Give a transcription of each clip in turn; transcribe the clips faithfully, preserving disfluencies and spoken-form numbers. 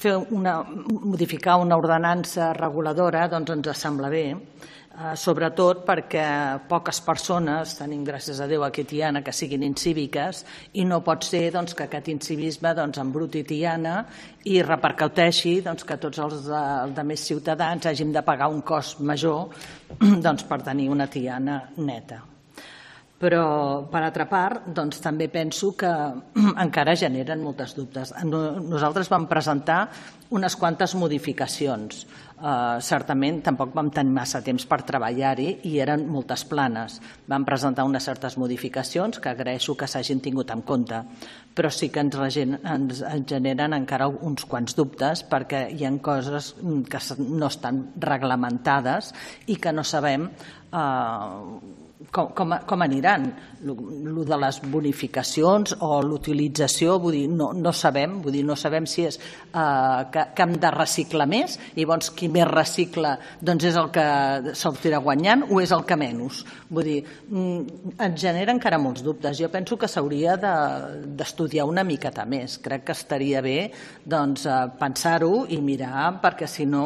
fer una, modificar una ordenança reguladora doncs ens sembla bé, sobretot perquè poques persones, tenim gràcies a Déu aquí a Tiana, que siguin incíviques, i no pot ser doncs, que aquest incivisme doncs, embruti Tiana i repercuteixi doncs, que tots els altres ciutadans hàgim de pagar un cost major doncs, per tenir una Tiana neta. Però, per altra part, doncs, també penso que encara generen moltes dubtes. Nosaltres vam presentar unes quantes modificacions. Uh, certament, tampoc vam tenir massa temps per treballar-hi i eren moltes planes. Vam presentar unes certes modificacions que agraeixo que s'hagin tingut en compte, però sí que ens, ens generen encara uns quants dubtes perquè hi ha coses que no estan reglamentades i que no sabem uh, Com, com, com aniran, el de les bonificacions o l'utilització, vull dir, no, no sabem, vull dir, no sabem si és eh, que, que hem de reciclar més i llavors qui més recicla doncs és el que sortirà guanyant o és el que menys. Vull dir, ens genera encara molts dubtes. Jo penso que s'hauria d'estudiar una miqueta més. Crec que estaria bé doncs, pensar-ho i mirar, perquè si no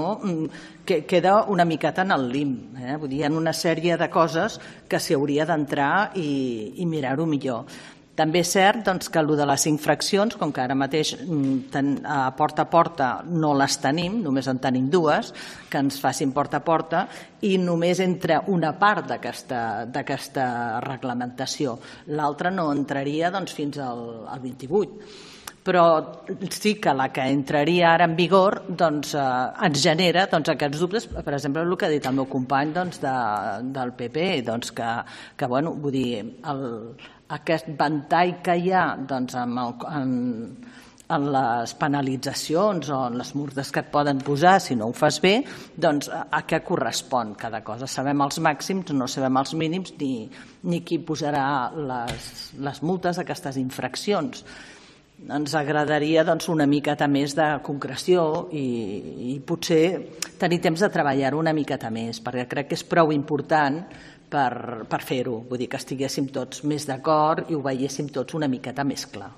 que queda una miqueta en el lim. Eh? Vull dir, hi ha una sèrie de coses que s'hi hauria d'entrar i, i mirar-ho millor. També és cert doncs, que el de les infraccions, com que ara mateix ten, a porta a porta no les tenim, només en tenim dues, que ens facin porta a porta, i només entra una part d'aquesta reglamentació. L'altra no entraria doncs, fins al, al vint-i-vuit. Però sí que la que entraria ara en vigor doncs, eh, ens genera doncs, aquests dubtes, per exemple, el que ha dit el meu company doncs, de, del P P, doncs, que, que bueno, vull dir, el, aquest ventall que hi ha doncs, en, el, en, en les penalitzacions o en les multes que et poden posar si no ho fas bé, doncs a, a què correspon cada cosa. Sabem els màxims, no sabem els mínims ni, ni qui posarà les, les multes d'aquestes infraccions. Ens agradaria doncs, una miqueta més de concreció i, i potser tenir temps de treballar-ho una miqueta més, perquè crec que és prou important per, per fer-ho. Vull dir que estiguéssim tots més d'acord i ho veiéssim tots una miqueta més clar.